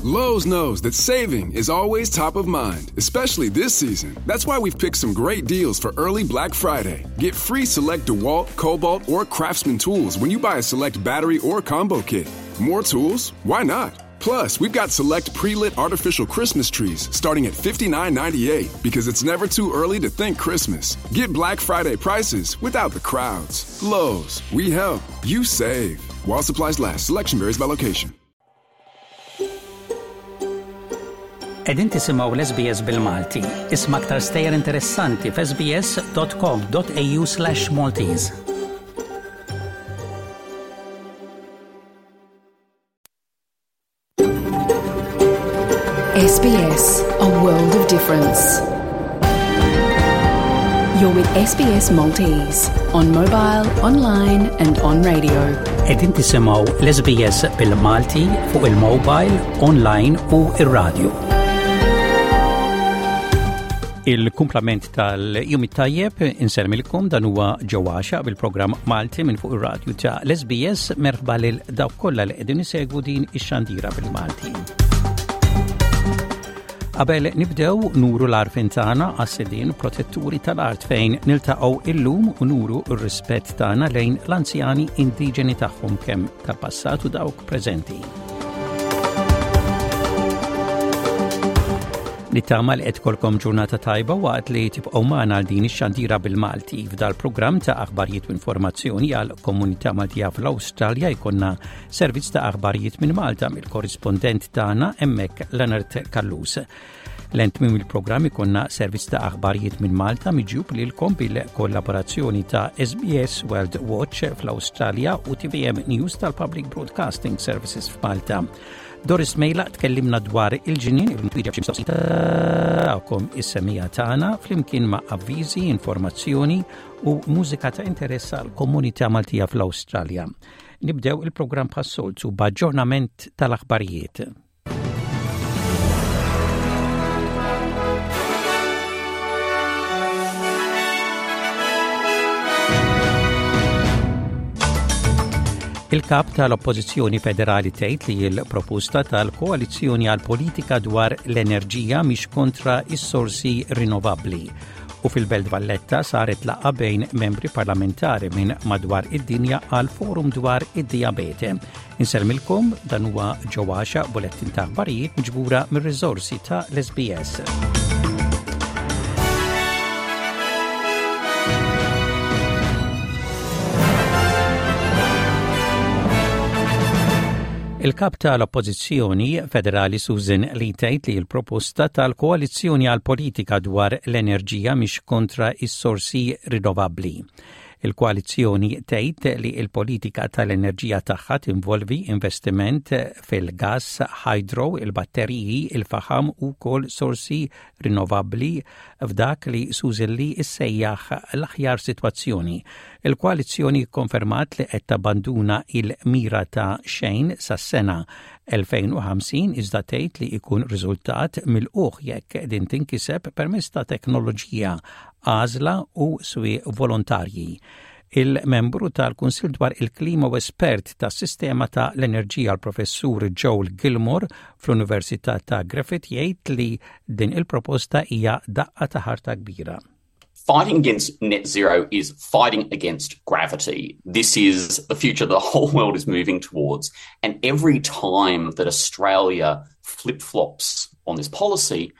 Lowe's knows that saving is always top of mind, especially this season. That's why we've picked some great deals for early Black Friday. Get free select DeWalt, Cobalt, or Craftsman tools when you buy a select battery or combo kit. More tools? Why not? Plus, we've got select pre-lit artificial Christmas trees starting at $59.98 because it's never too early to think Christmas. Get Black Friday prices without the crowds. Lowe's, we help, you save. While supplies last, selection varies by location. Qegħdin tisimgħu l-SBS bil-Malti. Isma' aktar stejjer interessanti f'sbs.com.au/Maltese. SBS, a world of difference. You're with SBS Maltese on mobile, online and on radio. Qegħdin tisimgħu l-SBS bil-Malti fuq il-mobile, online u ir-radio. Il-kumplament tal-jum it-tajjeb insermilkom dan huwa ġewwaxa bil-programm Malti minn fuq ir-radju ta' l-SBS merħba lil dawk kollha li qegħdin isegwu din ix-xandira bil-Malti. Qabel nibdew nuru l-arfin tagħna għas-sidien protetturi tal-art fejn niltaqgħu illum u nuru r-rispett tagħna lejn l-anzjani indiġeni tagħhom kemm tal-passat u dawk preżenti. Nittama li qed kolkom ġurnata tajba waqt li tibqgħu magħna għal din ix-xandira bil-Malti. F'dal programm ta' aħbarijiet u informazzjoni għal komunità Maltija fl-Awstralja jkollna servizz ta' aħbarijiet minn Malta mill-korrispondent tagħna hemmhekk Leonard Callus. Lent minn il-programm ikonna servizz ta' aħbarijiet minn Malta miġjub lilkom bil-kollaborazzjoni ta' SBS World Watch fl-Awstralja u TVM News tal-Public Broadcasting Services f'Malta. Doris Mejla tkellimna dwar il-ġnien il-twieġeb xi mistoqsijiet tagħkom is-semija tagħna flimkien ma' avviżi, informazzjoni u mużika ta' interess għal komunità Maltija fl-Awstralja. Nibdew il-programm bħas-soltu b'aġġornament tal-aħbarijiet. Il-kap tal-Oppożizzjoni Federali tgħid li l-proposta tal-Koalizzjoni għal politika dwar l-enerġija mhix kontra is-sorsi rinnovabbli. U fil-Belt Valletta saret laqgħa bejn membri parlamentari minn madwar id-dinja għal forum dwar id-dijabete. Insellmilkom dan huwa ġewwaxa bulettin ta' aħbarijiet miġbura mir-riżorsi ta' l-SBS. Il-kap tal-Oppożizzjoni Federali Susan Lee tgħid li l-proposta tal-Koalizzjoni għal politika dwar l-enerġija mhix kontra is-sorsi rinnovabbli. Il-koalizzjoni tgħid li l-politika tal-enerġija tagħha tinvolvi investiment fil-gass, hydro, il-batteriji, il-faħam u wkoll sorsi rinnovabbli f'dak li Susan Lee issejjaħ l-aħjar sitwazzjoni. Il-koalizzjoni kkonfermat li qed tabbanduna il-mira ta' xejn sas-sena 2050 iżda tgħid li jkun riżultat milqugħ jekk din tinkiseb permezz ta' teknoloġija għażla u swieq volontarji. Il-membru tal-Kunsill dwar il-Klima u espert tas-sistema ta' l-enerġija l-Professur Joel Gilmore fl-Università ta' Griffith jgħid li din il-proposta hija daqqa ta' ħarta kbira. Fighting against net zero is fighting against gravity. This is the future the whole world is moving towards. And every time that Australia flip flops on this policy,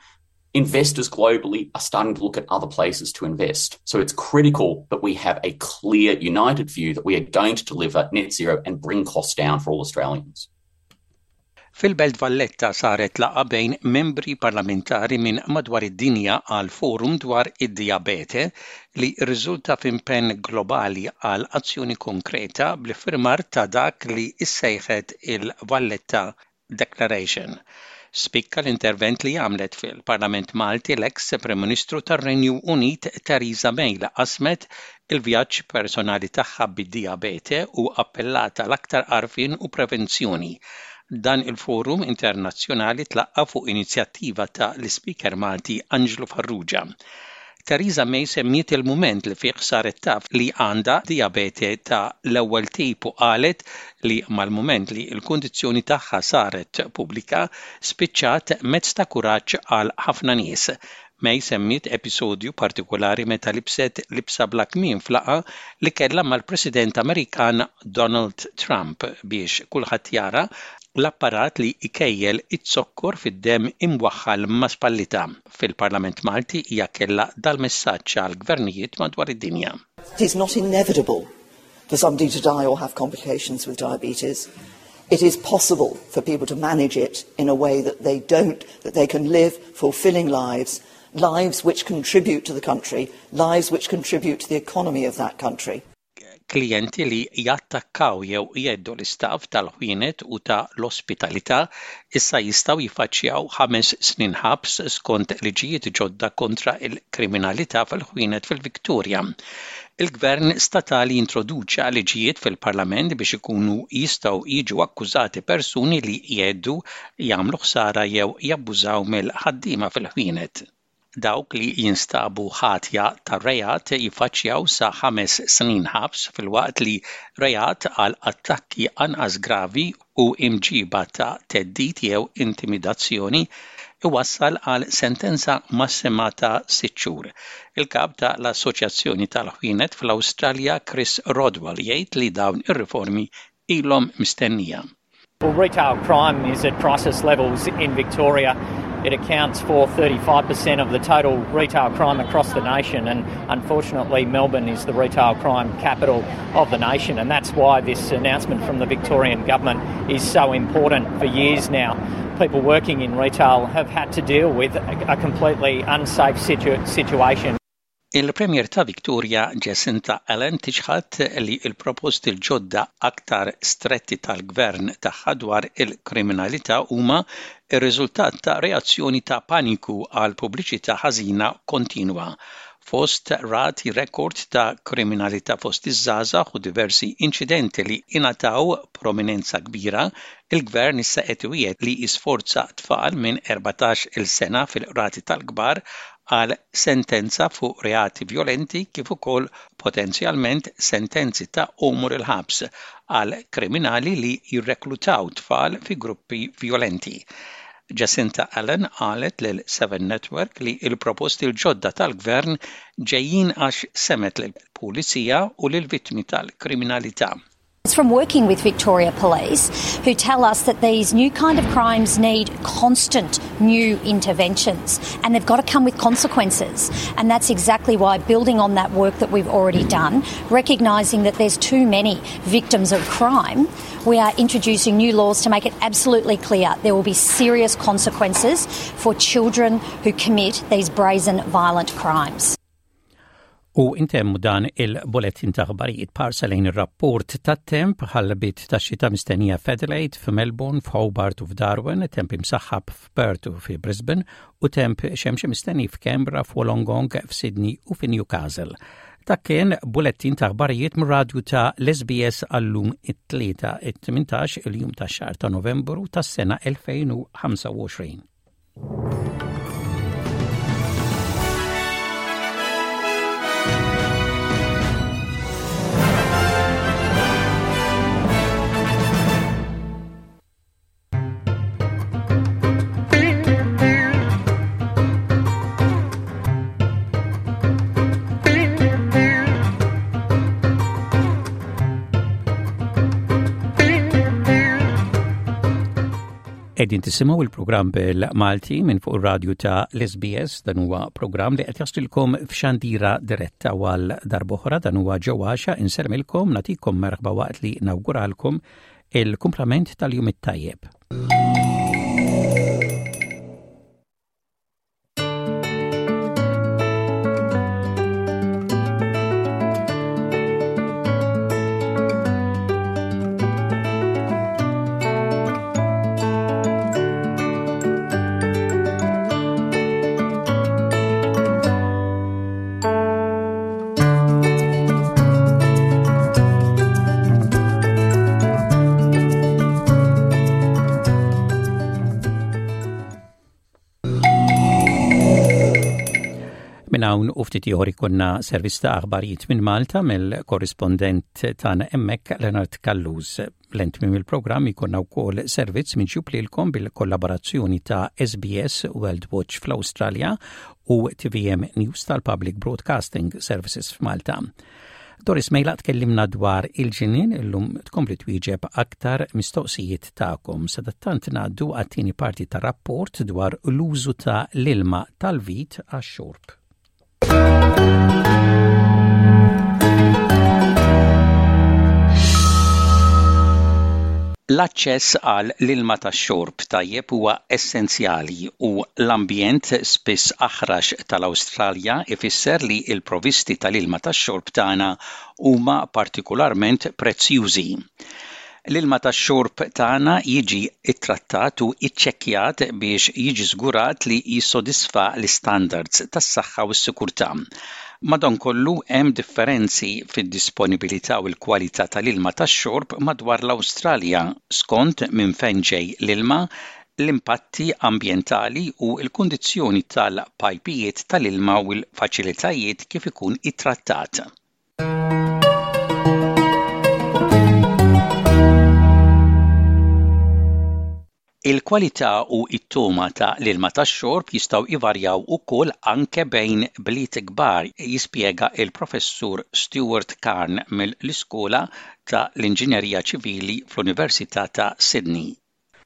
investors globally are starting to look at other places to invest. So it's critical that we have a clear, united view that we are going to deliver net zero and bring costs down for all Australians. Fil-Belt Valletta saret laqgħa bejn membri parlamentari minn madwar id-dinja għal forum dwar id-dijabete li rriżulta f'impenn globali għal azzjoni konkreta bl-iffirmar ta' dak li ssejħet il-Valletta Declaration. Spikka l-intervent li għamlet fil-Parlament Malti l-eks Prim Ministru tar-Renju Unit Theresa May li qasmet il-vjaġġ personali tagħha bid-dijabete u appellat għal aktar għarfien u prevenzjoni. Dan il-forum internazzjonali tlaqqa' fuq inizjattiva ta' l-Ispeaker Malti Anġlu Farrugia. Theresa May semmiet il-mument li fih saret taf li għandha dijabete ta' l-ewwel tip u qalet li mal-mument li l-kundizzjoni tagħha saret pubblika, spiċċat mezz ta' kuraġġ għal ħafna nies. May semmiet episodju partikulari meta libset libsa bla kmiem f'laqgħa li kellha mal-President Amerikan Donald Trump biex kulħadd jara l-apparat li jkejjel iz-zokkor fid-demm imwaħħal ma' spallitha. Fil-Parlament Malti hija kellha dal-messaġġ għall-gvernijiet madwar id-dinja. It is not inevitable for somebody to die or have complications with diabetes. It is possible for people to manage it in a way that they don't, that they can live fulfilling lives, lives which contribute to the country, lives which contribute to the economy of that country. Klijenti li jattakkaw jew jheddu l-istaff tal-ħwienet u ta' l-ospitalità issa jistgħu jiffaċċjaw ħames snin ħabs skont liġijiet ġodda kontra l-kriminalità fil-ħwienet fil-Victoria. Il-Gvern statali introduċa liġijiet fil-Parlament biex ikunu jistgħu jiġu akkużati persuni li jheddu, jagħmlu ħsara jew jabbużaw mill-ħaddiema fil-ħwienet. Dawk li jinstabu ħatja ta' reat jiffaċċjaw sa ħames snin ħabs filwaqt li reat għal attakki anqas gravi u imġiba ta' theddid jew intimidazzjoni iwassal għal sentenza massima ta' sitt xhur. Il-kap ta' l-Assoċjazzjoni tal-Ħwienet fl-Awstralja Chris Rodwell jgħid li dawn ir-riformi ilhom mistennija. Well, retail crime is at crisis levels in Victoria. It accounts for 35% of the total retail crime across the nation, and unfortunately, Melbourne is the retail crime capital of the nation, and that's why this announcement from the Victorian government is so important. For years now, people working in retail have had to deal with a completely unsafe situ situation. Il-Premier ta' Victoria Jacinta Allan tiċħad li l-proposti l-ġodda aktar stretti tal-gvern tagħha dwar il-kriminalità huma r-riżultat ta' reazzjoni ta' paniku għal pubbliċità ħażina kontinwa. Fost rati rekord ta' kriminalità fost iż-żgħażagħ u diversi inċidenti li ingħataw prominenza kbira, il-gvern issa qed iwiegħed li jisforza tfal minn 14-il sena fil-qrati tal-kbar għal sentenza fuq reati vjolenti kif ukoll potenzjalment sentenzi ta' għomor il-ħabs għal kriminali li jirreklutaw tfal fi gruppi vjolenti. Jacinta Allan qalet lil Seven Network li l-proposti l-ġodda tal-Gvern ġejjin għax semgħet lill-Pulizija u lill-vittmi tal-kriminalità. It's from working with Victoria Police, who tell us that these new kind of crimes need constant new interventions and they've got to come with consequences. And that's exactly why building on that work that we've already done, recognising that there's too many victims of crime, we are introducing new laws to make it absolutely clear there will be serious consequences for children who commit these brazen violent crimes. U intemmu dan il-bulettin ta' aħbarijiet parsa lejn ir-rapport tat-temp ħalbit ta' xita mistennija f'Adelaide, f'Melbourne, f'Hobart u f'Darwin, temp imsaħħab f'Perth u fi Brisbane u temp xemxi mistenni f'Canberra, f'Wollongong, f'Sydney u fi Newcastle. Dak kien bulettin ta' aħbarijiet mir-radju ta' l-SBS għallum it-tlieta it-18 il-jum tax-xahar ta' Novembru tas-sena 2025. Qegħdin tisimgħu il-programm bil-Malti minn fuq ir-radju ta' l-SBS dan huwa programm li qed jaslilkom f'xandira diretta għal darb'oħra dan huwa ġewwaxa insermilkom nagħtikom merħba waqt li nawguralkom il-kumplament tal-jum it-tajjeb. Minn hawn u ftit ieħor ikollna servizz ta' aħbarijiet minn Malta mill-korrispondent tagħna hemmhekk Leonard Callus. Lejn tmiem il-programm ikollna wkoll servizz miġjub lilkom bil-kollaborazzjoni ta' SBS World Watch fl-Awstralja u TVM News tal-Public Broadcasting Services f'Malta. Doris Mejla tkellimna dwar il-ġinien illum tkompli twieġeb aktar mistoqsijiet tagħkom. Sadattant ngħaddu għat-tieni parti ta' rapport dwar l-użu ta' l-ilma tal-vit għax-xorb. L-aċċess għal l-ilma tax-xorb tajjeb huwa essenzjali u l-ambjent spiss aħrax tal-Awstralja ifisser li l-provisti tal-ilma tax-xorb tagħna huma partikularment prezzjużi. L-ilma tax-xorb tagħna jiġi ttrattat u ċċekkjat biex jiġi żgurat li jissodisfa l-istandards tas-saħħa u s-sikurtà. Madankollu, hemm differenzi fid-disponibilità u l-kwalità tal-ilma tax-xorb madwar l-Awstralja skont minn fejn ġej l-ilma, l-impatti ambjentali u l-kundizzjoni tal-pajpijiet tal-ilma u l-faċilitajiet kif ikun ittrattat. Il-kwalità u t-togħma ta' l-ilma tax-xorb jistgħu jvarjaw ukoll anke bejn bliet kbar, jispjega l-Professur Stuart Carne mill-Iskola ta' l-Inġinerija Ċivili fl-Università ta' Sydney.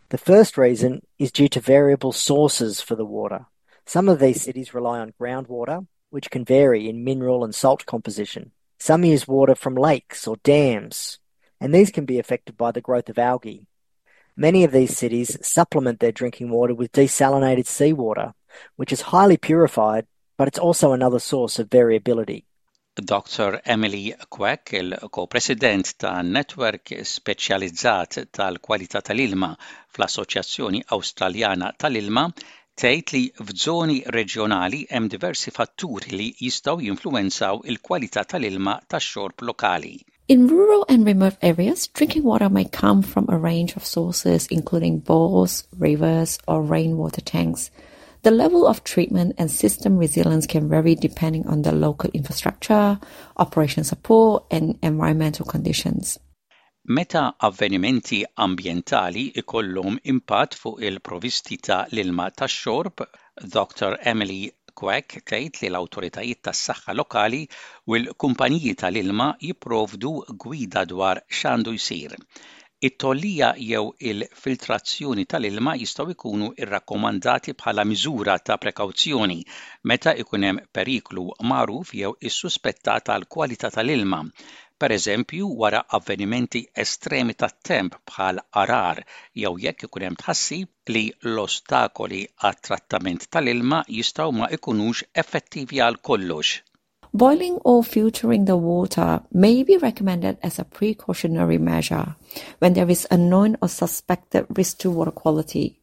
The first reason is due to variable sources for the water. Some of these cities rely on groundwater, which can vary in mineral and salt composition. Some use water from lakes or dams, and these can be affected by the growth of algae. Many of these cities supplement their drinking water with desalinated seawater, which is highly purified, but it's also another source of variability. Dr. Emily Quack, il-ko-president ta' netwerk speċjalizzat tal-kwalità tal-ilma fl-Assoċjazzjoni Awstraljana tal-Ilma, tgħid li f'żoni reġjonali hemm diversi fatturi li jistgħu jinfluwenzaw il-kwalità tal-ilma tax-xorb lokali. In rural and remote areas, drinking water may come from a range of sources including bores, rivers, or rainwater tanks. The level of treatment and system resilience can vary depending on the local infrastructure, operation support, and environmental conditions. Meta avvenimenti ambjentali ikollhom impatt fuq il-provisti ta' l-ilma tax-xorb, Dr. Emily Quack tgħid li l-awtoritajiet tas-saħħa lokali u l-kumpaniji tal-ilma jipprovdu gwida dwar x'għandu jsir. It-tgħollija jew il-filtrazzjoni tal-ilma jistgħu jkunu rrakkomandati bħala miżura ta' prekawzjoni meta jkun hemm periklu magħruf jew issuspettat għall-kwalità tal-ilma, pereżempju wara avvenimenti estremi tat-temp bħal għargħar jew jekk ikun hemm tħassib li l-ostakoli għat-trattament tal-ilma jistgħu ma jkunux effettivi għal kollox. Boiling or filtering the water may be recommended as a precautionary measure when there is a known or suspected risk to water quality.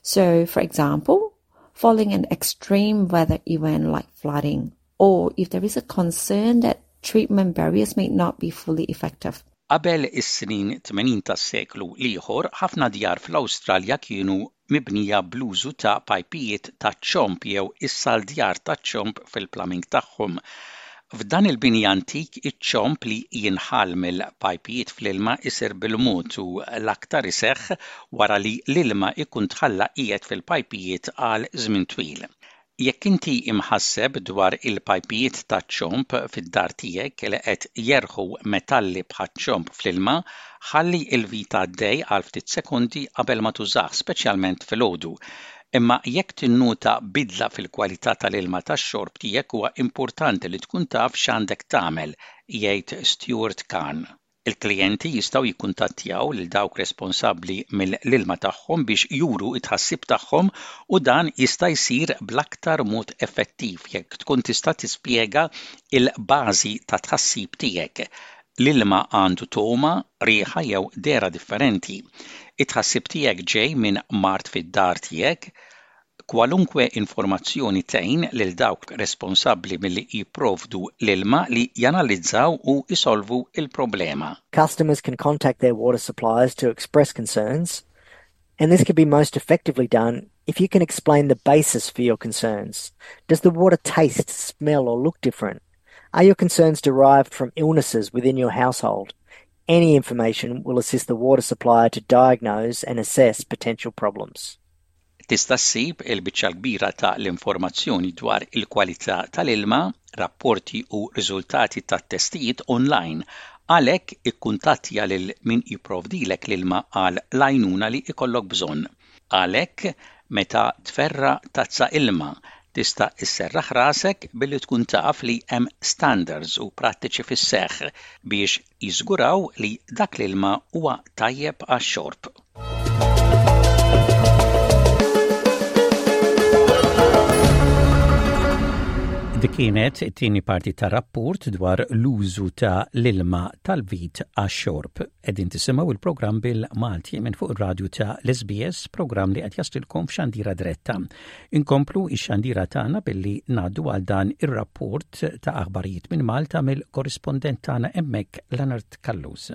So, for example, following an extreme weather event like flooding, or if there is a concern that treatment barriers may not be fully effective. Qabel is-snin 80 tas-seklu l-ieħor, ħafna djar fl-Awstralja kienu mibnija bl-użu ta' pajpijiet taċ-ċomb jew is-saldjar taċ-ċomb fil-plumbing tagħhom. F'dan il-bini antik, iċ-ċomb li jinħall mill-pajpijiet fl-ilma jsir bil-mod u l-aktar iseħħ wara li l-ilma jkun tħalla qiegħed fil-pajpijiet għal żmien twil. Jekk inti imħasseb dwar il-pajpijiet taċ-ċomb fid-dar tiegħek li qed jerħu metalli bħaċ-ċomb fl-ilma, ħalli l-vit għaddej għal ftit sekondi qabel ma tużah, speċjalment filgħodu. Imma jekk tinnota bidla fil-kwalità tal-ilma tax-xorb tiegħek huwa importanti li tkun taf x'għandek tagħmel, jgħid Stuart Kahn. Il-klijenti jistgħu jikkuntattjaw lil dawk responsabbli mill-ilma tagħhom biex juru t-tħassib tagħhom u dan jista' jsir bl-aktar mod effettiv jekk tkun tista' tispjega l-bażi tat-tħassib tiegħek. L-ilma għandu togħma, riħa jew dehra differenti. It-tħassib tiegħek ġej minn mard fid-dar tiegħek? Kwalunkwe informazzjoni tgħin lil dawk responsabbli milli jipprovdu l-ilma li janalizzaw u jsolvu l-problema. Customers can contact their water suppliers to express concerns, and this can be most effectively done if you can explain the basis for your concerns. Does the water taste, smell or look different? Are your concerns derived from illnesses within your household? Any information will assist the water supplier to diagnose and assess potential problems. Tista' ssib il-biċċa l-kbira ta' l-informazzjoni dwar il-kwalità tal-ilma, rapporti u riżultati tat-testijiet online. Għalhekk ikkuntattja lil min jipprovdilek l-ilma għal l-għajnuna li jkollok bżonn. Għalhekk, meta tferra' tazza ilma, tista' sserraħ rasek billi tkun taf li hemm standards u prattiċi fis-seħħ biex jiżguraw li dak l-ilma huwa tajjeb għax-xorb. Dik kienet it-tieni parti ta' rapport dwar l-użu ta' l-ilma tal-vit għax-xorb. Qegħdin tisimgħu il-programm bil-Malti minn fuq ir-radju ta' l-SBS, programm li qed jaslilkom f'xandira diretta. Inkomplu ix-xandira tagħna billi ngħaddu għal dan ir-rapport ta' aħbarijiet minn Malta mill-korrispondent tagħna hemmhekk Leonard Callus.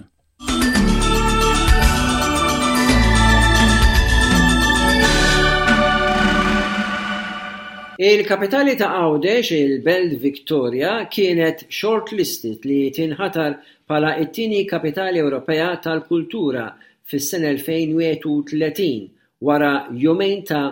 Il-kapitali ta' Għawdex, il-Belt Victoria, kienet shortlisted li tinħatar bħala t-tieni Kapitali Ewropea tal-Kultura fis-sena 2031 wara jumejn ta'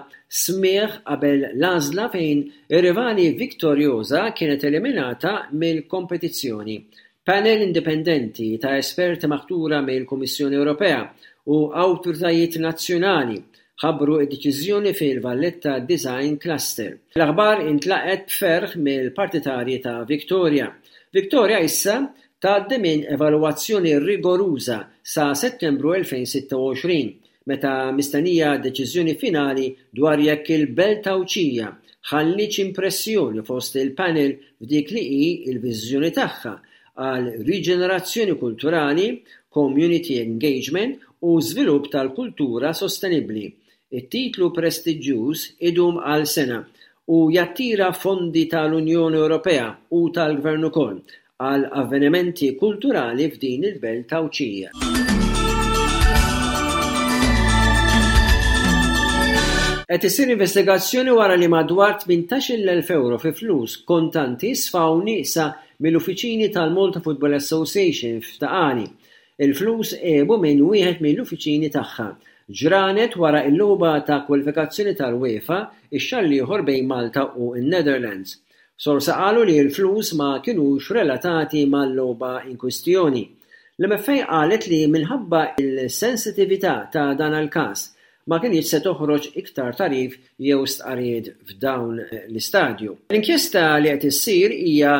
smigħ qabel l-għażla fejn ir-rivali Victoriosa kienet eliminata mill-kompetizzjoni. Panel indipendenti ta' esperti maħtura mill-Kummissjoni Ewropea u awtoritajiet nazzjonali ħabbru d-deċiżjoni fil-Valletta Design Cluster. L-aħbar intlaqgħet b'ferħ mill-partitarji ta' Victoria. Victoria issa tgħaddi minn evalwazzjoni rigoruża sa Settembru 2026, meta mistennija deċiżjoni finali dwar jekk il-Belt Għawdxija ħallietx impressjoni fost il-panel f'dik li hi l-viżjoni tagħha għal riġenerazzjoni kulturali, community engagement u żvilupp tal-kultura sostenibbli. It-titlu prestiġjuż idum għal sena u jattira fondi tal-Unjoni Ewropea u tal-Gvern ukoll għal avvenimenti kulturali f'din il-belt Għawdxija. Qed issir investigazzjoni wara li madwar 18,000 ewro fi flus kontanti sfaw nieqsa mill-uffiċini tal-Malta Football Association f'Ta' Qali. Il-flus għebu minn wieħed mill-uffiċini tagħha, ġranet wara l-logħba ta' kwalifikazzjoni tal-UEFA x-xahar l-ieħor bejn Malta u n-Netherlands. Sorsi qalu li l-flus ma kinux relatati mal-logħba inkwistjoni. L-MFA qalet li minħabba l-sensitività ta' dan l-każ, ma kinitx se toħroġ iktar tagħrif jew stqarrijiet f'dawn l-istadju. L-inkjesta li qed issir hija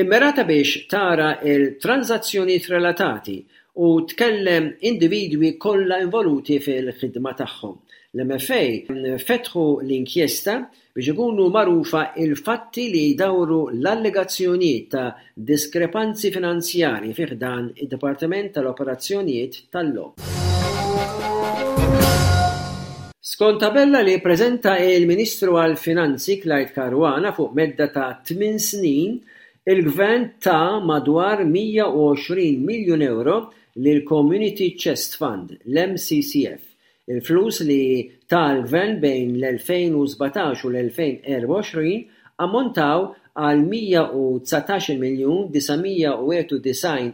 mmirata biex tara l-tranżazzjonijiet relatati u tkellem individwi kollha involuti fil-ħidma tagħhom. L-MFA fetħu l-inkjesta biex ikunu magħrufa l-fatti li jdawru l-allegazzjonijiet ta' diskrepanzi finanzjarji fi ħdan id-Dipartiment tal-Operazzjonijiet tal-Logħob. Skont tabella li ppreżenta il-Ministru għall-Finanzi Clyde Caruana fuq medda ta' tmien snin, il-Gvern ta madwar 120 miljun ewro lill-Community Chest Fund, l-MCCF, Il-flus li ta l-Gvern bejn l-2017 u l-2024 ammontaw għal 119 miljun 991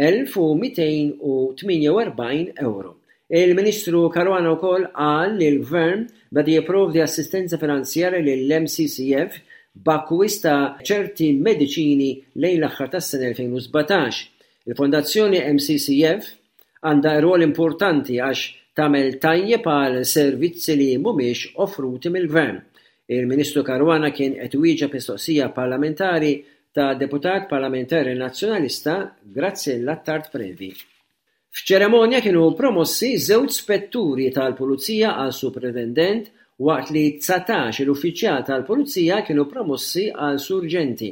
elf u 248 ewro. Il-Ministru Caruana wkoll qal li l-Gvern beda jipprovdi assistenza finanzjarja lill-MCCF b'akkwist ta' ċerti mediċini lejn l-aħħar tas-sena 2017. Il-Fondazzjoni MCCF Għandha rwol importanti għax tagħmel tajjeb għal servizzi li mhumiex offruti mill-Gvern. Il-Ministru Caruana kien qed iwieġeb mistoqsija parlamentari ta' Deputat Parlamentari Nazzjonalista Graziella Attard Previ. F'ċerimonja kienu promossi żewġ spetturi tal-Pulizija għal Supretendent waqt li 19 il-uffiċjal tal-Pulizija kienu promossi għal Surġenti.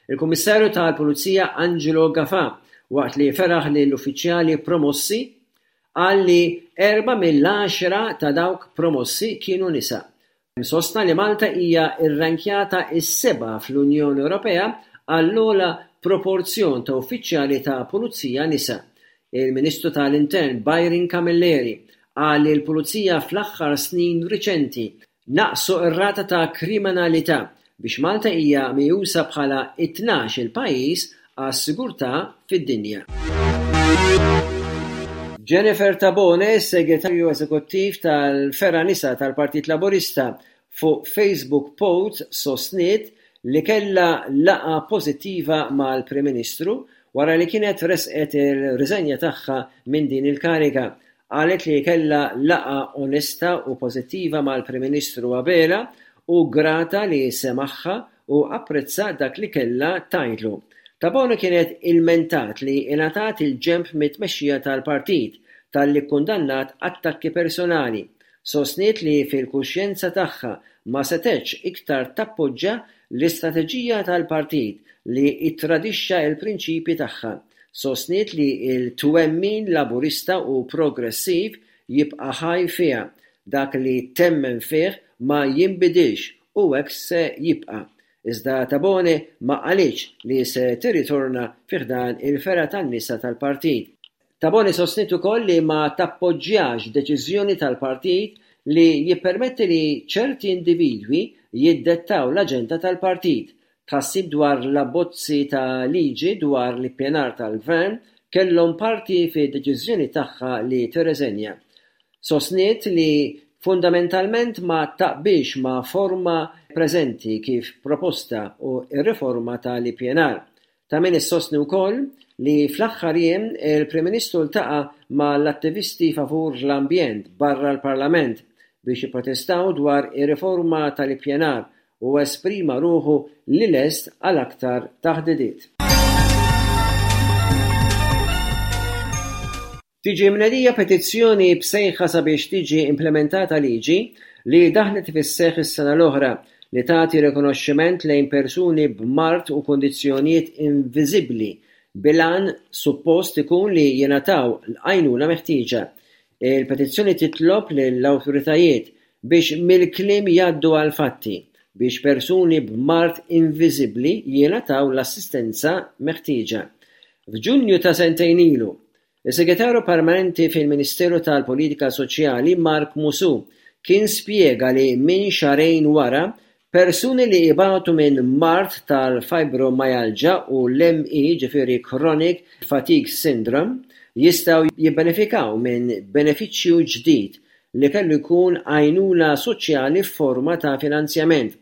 Il-Kummissarju tal-Pulizija Angelo Gafà Waqt li feraħ lill-uffiċjali promossi, qal li erbgħa mill-għaxra ta' dawk promossi kienu nisa. Sostna li Malta hija rrankjata s-seba' fl-Unjoni Ewropea għall-ogħla proporzjon ta' uffiċjali ta' pulizija nisa. Il-Ministru tal-Intern Byron Camilleri qal li l-Pulizija fl-aħħar snin riċenti. Naqqsu r-rata ta' kriminalità biex Malta hija meqjusa bħala it-tnax-il pajjiż għas-sigurtà fid-dinja. Jennifer Tabone, Segretarju Eżekuttiv tal-Fergħa Nisa tal-Partit Laburista, fuq Facebook post sostniet li kellha laqgħa pożittiva mal-Prim Ministru wara li kienet ressqet ir-riżenja tagħha minn din il-kariga Qalet li kellha laqgħa onesta u pożittiva mal-Prim Ministru Abela u grata li semagħha u apprezza dak li kellha tgħidlu. Tabone kienet ilmentat li ingħatat il-ġenb mit-tmexxija tal-partit talli kkundannat attakki personali. Sostniet li fil-kuxjenza tagħha ma setgħetx iktar tappoġġa l-istrateġija tal-partit li ttradixxa l-prinċipji tagħha. Sostniet li l-twemmin Laburista u progressiv jibqa' ħaj fiha, dak li temmen fih ma jinbidilx u hekk se jibqa'. Iżda Tabone ma qalitx li se tirritorna fi ħdan il-fergħa tan-nisa tal-partit. Tabone sostniet ukoll li ma tappoġġjax deċiżjoni tal-partit li jippermetti li ċerti individwi jiddettaw l-aġenda tal-partit. Tħassib dwar l-abbozzi ta' liġi dwar l-ippjanar tal-Gvern kellhom parti fid-deċiżjoni tagħha li tirreżenja. Sostniet li fundamentalment ma taqbilx ma' forma preżenti kif proposta u r-riforma tal-ippjanar. Ta' min issostni wkoll li fl-aħħar jiem il-Prim Ministru ltaqa' mal-attivisti favur l-ambjent barra l-Parlament biex jipprotestaw dwar ir-riforma tal-ippjanar u esprima ruħu li lest għal aktar taħdidiet. Tiġi mnedija petizzjoni b'sejħa sabiex tiġi implimentata liġi li daħlet fis-seħħ is-sena l-oħra li tagħti rikonoxximent lejn persuni b'mard u kundizzjonijiet inviżibbli bil-għan suppost ikun li jingħataw l-għajnuna meħtieġa. Il-petizzjoni titlob lill-awtoritajiet biex mill-kliem jgħaddu għall-fatti biex persuni b'mard inviżibbli jingħataw l-assistenza meħtieġa. F'Ġunju ta' sentejn ilu, Is-Segretarju Permanenti fil-Ministeru tal-Politika Soċjali Mark Musù kien spjega li minn xahrejn wara, persuni li ibatu minn mard tal-fibromyalgia u l-ME ġifieri Chronic Fatigue Syndrome jistgħu jibbenefikaw minn benefiċċju ġdid li kellu jkun għajnuna soċjali f'forma ta' finanzjament.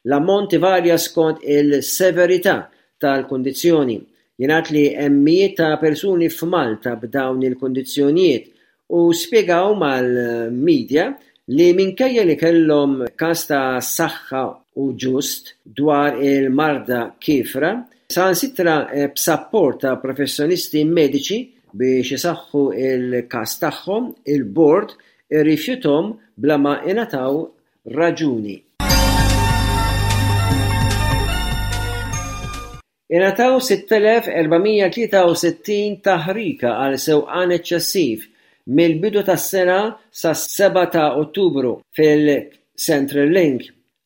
L-ammont ivarja skont il-severità tal-kundizzjoni. Jingħad li hemm mijiet ta' persuni f'Malta b'dawn il-kundizzjonijiet u spjegaw mal-media li minkejja li kellhom każ ta' saħħa u ġust dwar il-marda kiefra, saħansitra b'sapport ta' professjonisti mediċi biex isaħħu l-każ tagħhom, il-bord irrifjuthom bla ma ingħataw raġuni. Ingħataw 6,463 taħrika għal sewqan eċċessiv mill-bidu tas-sena sas-sebgħa ta' Ottubru fil-Central Link.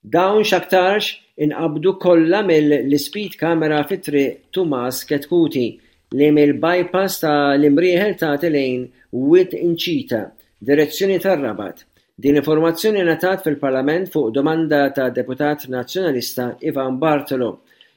Dawn x'aktarx inqabdu kollha mill-ispeed camera fi Triq Tumas Chetcuti li mill-bypass ta' l-Imrieħel tagħti lejn Wied Inċita, direzzjoni tar-Rabat. Din l-informazzjoni ngħatat fil-Parlament fuq domanda tad-Deputat Nazzjonalista Ivan Bartolo.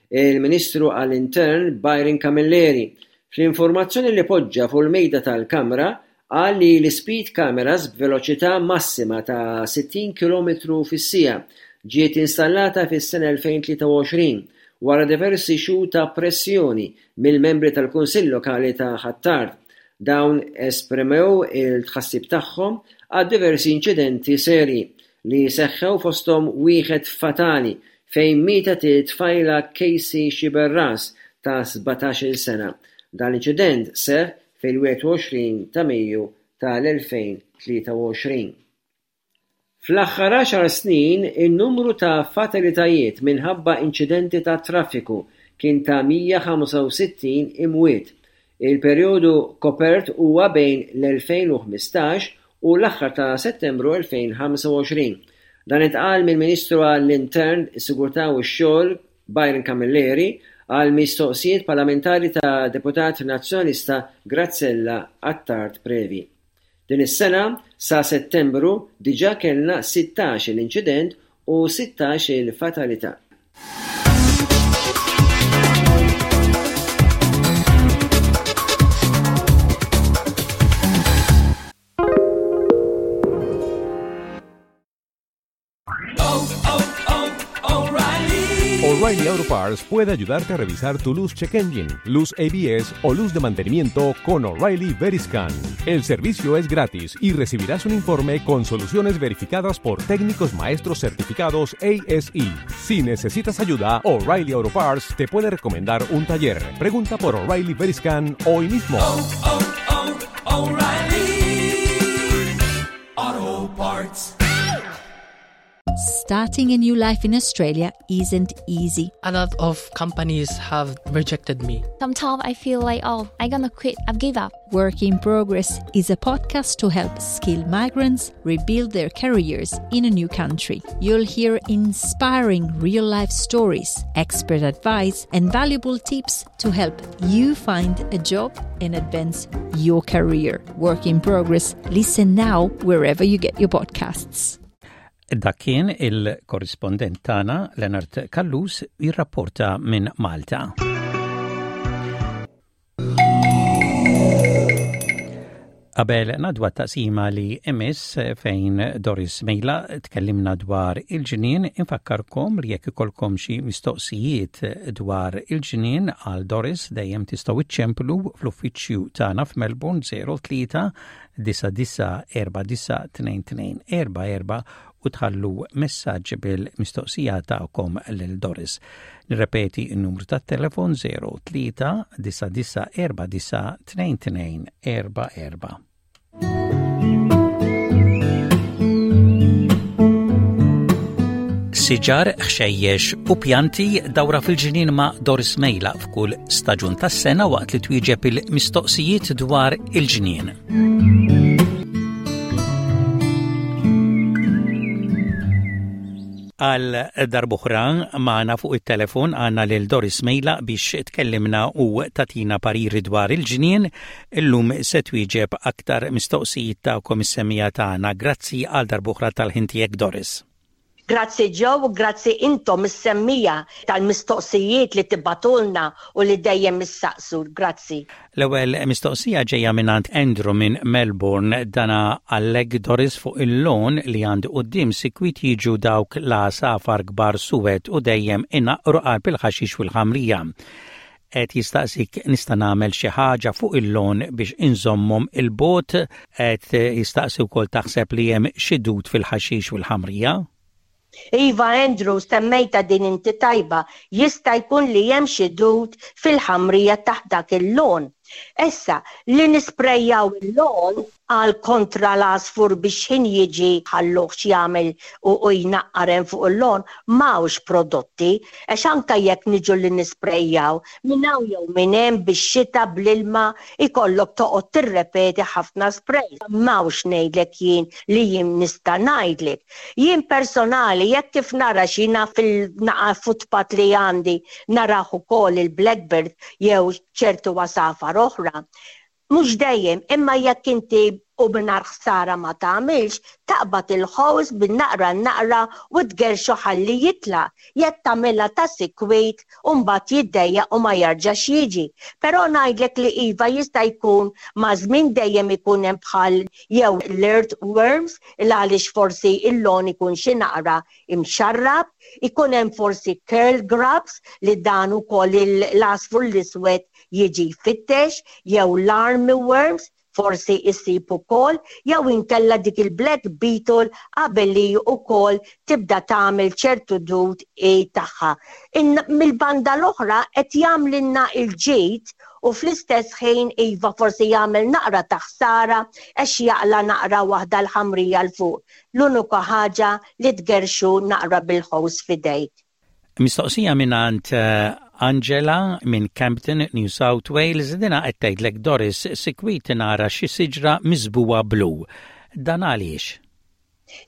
Il-Ministru għall-Intern Byron Camilleri, fl-informazzjoni li poġġa fuq il-mejda tal-Kamra, qal li l-ispeed cameras b'veloċità massima ta' 60 kilometru fis-siegħa ġiet installata fis-sena 2023 wara diversi xhur ta' pressjoni mill-membri tal-Kunsill Lokali ta' Ħ'Attard. Dawn esprimew il-tħassib tagħhom għad-diversi inċidenti serji li seħħew fosthom wieħed fatali fejn mietet it-tfajla Casey Sciberras ta' 17-il sena. Dan l-inċident seħħ fil-21 ta' Mejju tal-2023. Fl-aħħar għaxar snin, in-numru ta' fatalitajiet minħabba inċidenti tat-traffiku kien ta' 165 imwiet. Il-perjodu kopert huwa bejn l-2015 u l-aħħar ta' Settembru 2025. Dan intqal mill-Ministru għall-Intern, is-Sigurtà u x-Xogħol, Byron Camilleri, għal mistoqsijiet parlamentari ta' Deputat Nazzjonalista Graziella Attard Previ. Din is-sena, sa Settembru, diġà kellna sittax-il inċident u sittax-il fatalità. O'Reilly Auto Parts puede ayudarte a revisar tu luz check engine, luz ABS o luz de mantenimiento con O'Reilly Veriscan. El servicio es gratis y recibirás un informe con soluciones verificadas por técnicos maestros certificados ASE. Si necesitas ayuda, O'Reilly Auto Parts te puede recomendar un taller. Pregunta por O'Reilly Veriscan hoy mismo. Oh, oh, oh, O'Reilly Auto Parts. Starting a new life in Australia isn't easy. A lot of companies have rejected me. Sometimes I feel like, oh, I'm gonna quit, I've give up. Work in Progress is a podcast to help skilled migrants rebuild their careers in a new country. You'll hear inspiring real life stories, expert advice, and valuable tips to help you find a job and advance your career. Work in Progress. Listen now wherever you get your podcasts. Dak kien il-korrispondent tagħna Leonard Callus jirrapporta minn Malta. Qabel nadwa taqsima li imiss fejn Doris Mejla tkellimna dwar il-ġnien, infakkarkom li jekk ikolkom xi mistoqsijiet dwar il-ġnien għal Doris dejjem tistgħu iċċemplu fl-uffiċċju tagħna f'Melbourne 03 99492244 u tħallu messaġġ bil-mistoqsija tagħkom lil Doris. Nirrepeti n-numru tat-telefon 03 9949 2244. Siġar, ħxejjex u pjanti dawra fil-ġnien ma' Doris Mejla f'kull staġun tas-sena waqt li twieġeb il-mistoqsijiet dwar il-ġnien. Għal darb'oħra magħna fuq it-telefon għandna lil Doris Mejla biex tkellimna u tatina pariri dwar il-ġnien. Illum se twieġeb aktar mistoqsijiet tagħkom is-semmiegħa tagħna. Grazzi għal darb'oħra tal-ħin tiegħek Doris. Grazzi Joe u grazzi intom is-semmiegħa tal-mistoqsijiet li tibagħtulna u li dejjem issaqsu. Grazzi. L-ewwel mistoqsija ġejja mingħand Andrew minn Melbourne. Dana għallek Doris fuq il-lawn li għandi quddiem sikwit jiġu dawk l-għasafar kbar suwed u dejjem inaqqru qalb il-ħaxix u l-ħamrija. Qed jistaqsik nista' nagħmel xi ħaġa fuq il-lawn biex inżommhom 'il bogħod? Qed jistaqsi wkoll taħseb li hemm xi dud fil-ħaxix u l-ħamrija? Iva Andrew, semmejtha din inti tajba, jista' jkun li hemm xi dud fil-ħamrija taħt dak il-lawn. Issa, li nisprejjaw il-lawn għal kontra l-għasfur biex x'ħin jiġi ħalluh x'jagħmel u jnaqqar hemm fuq il-lawn, m'hawnx prodotti, għax anke jekk niġu li nisprejjaw, minn hawn jew minn hemm bix-xita bl-ilma jkollok toqgħod tirrepeti ħafna sprays. M'hawnx ngħidlek jien li jien nista' ngħidlek. Jien personali jekk kif nara x'jiena fil-naqa footpath li għandi narah ukoll il-blackbird jew ċertu għasafar oħra, Mhux dejjem, imma jekk inti u mingħajr ħsara ma tagħmilx, taqbad il-ħows bin-naqra n-naqra u tgerrxu ħalli jitlaq. Jekk tagħmilha ta' sikwit u mbagħad jiddejjaq u ma jarġax jiġi. Però ngħidlek li iva jista' jkun maż-żmien dejjem ikun hemm bħal jew l-earth worms il għaliex forsi l-lawn ikun xi naqra imxarrab, ikun hemm forsi curl grubs li dan ukoll l-għasfur l-iswed jiġi jfittex, jew l-army worms, forsi issib ukoll, jew inkella dik il-black beetle qabel li ukoll tibda tagħmel ċertu dud i tagħha. Mill-banda l-oħra qed jagħmlilna l-ġid u fl-istess ħin iva forsi jagħmel naqra ta' ħsara għax jaqla' naqra waħda l-ħamrija 'l fuq. L-unika ħaġa li tgerrxu naqra bil-ħows f'idejk. Mistoqsija mingħand eh, Angela minn Campton, New South Wales, dina qed tgħidlek Doris sikwit nara xi siġra miżbuha blu. Dan għaliex?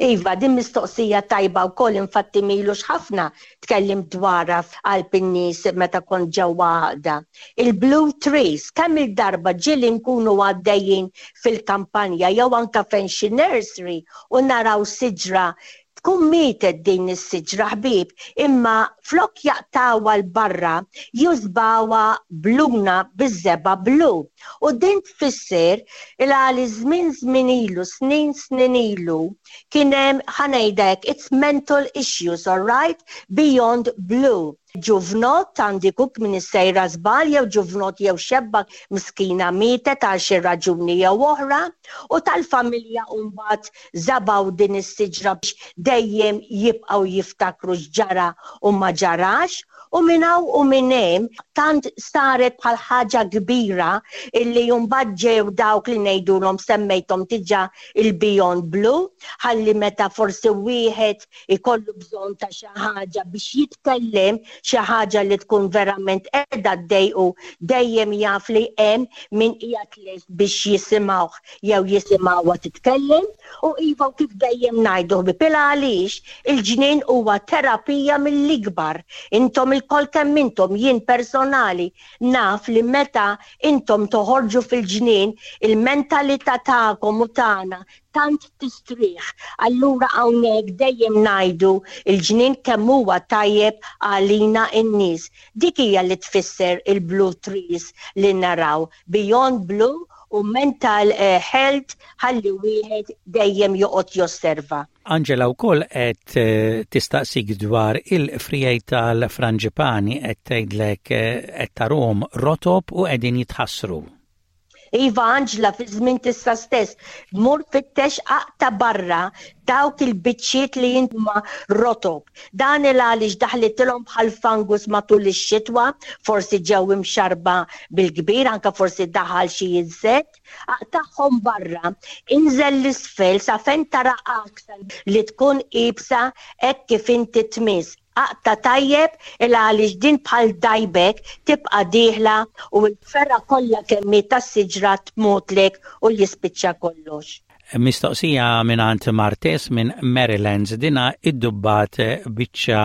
Iva, din mistoqsija tajba wkoll infatti m'ilux ħafna tkellimt dwarha f'qalb in-nies meta kont ġewwa għaqda. Il-blue trees, kemm-il darba ġieli nkunu għaddejjin fil-kampanja jew anke fejn xi nursery u naraw siġra tkun mietet din is-siġra ħbieb imma flok jaqtgħuha 'l barra jużbawha b'luna biż-żebgħa blu. U din tfisser il għaliex żmien żmien ilu, snin snin ilu, kien hemm, ħa ngħidha hekk, it's mental issues, all right, beyond blue. Ġuvnott, għandi kuk m'iniex sejra żball, jew ġuvnott jew xebba miskina mietet għal xi raġuni jew oħra, u tal-familja mbagħad żabgħu din is-siġra biex dejjem jibqgħu jiftakru x'ġara u ma ġarax, u minn hawn u minn hemm tant saret bħal ħaġa kbira illi mbagħad ġew dawk li ngħidulhom semmejthom diġà il-Beyond Blue ħalli meta forsi wieħed ikollu bżonn ta' xi ħaġa biex jitkellem, xi ħaġa li tkun verament qiegħda ddejqu, dejjem jaf li hemm min qiegħed lest biex jisimgħuh jew jisimgħuha titkellem. U iva u kif dejjem ngħidu ħbieb il għaliex il-ġnien huwa terapija mill-ikbar. Intom ilkoll kemm intom, jien personali naf li meta intom toħorġu fil-ġnien il-mentalità tagħkom u tagħna tant tistrieħ. Allura hawnhekk dejjem ngħidu l-ġnien kemm huwa tajjeb għalina n-nies. Dik hija li tfisser il-blue trees li naraw, beyond blue u mental health ħalli wieħed dejjem joqgħod josserva. Angela wkoll qed tistaqsik dwar il-friegħi tal-franġipani qed tgħidlek qed tarahom rotob u qegħdin jitħassru. Iva Anġla fi żmien tissa stess, mur fittex aqta' barra dawk il-biċċiet li huma rotob. Dan il għaliex daħlitilhom bħal fungus matul ix-xitwa, forsi ġew imxarrba bil-kbir, anke forsi daħal xi insett. Aqtagħhom barra, inżel 'l isfel sa fejn tara għaksa li tkun iebsa hekk kif inti tmiss. Aqta' tajjeb il għaliex din bħal dajbek tibqa' dieħla u l-fergħa kollha kemm hi tas-siġra tmutlek u jispiċċa kollox. Mistoqsija mingħand Martes minn Marylands dina iddubbat biċċa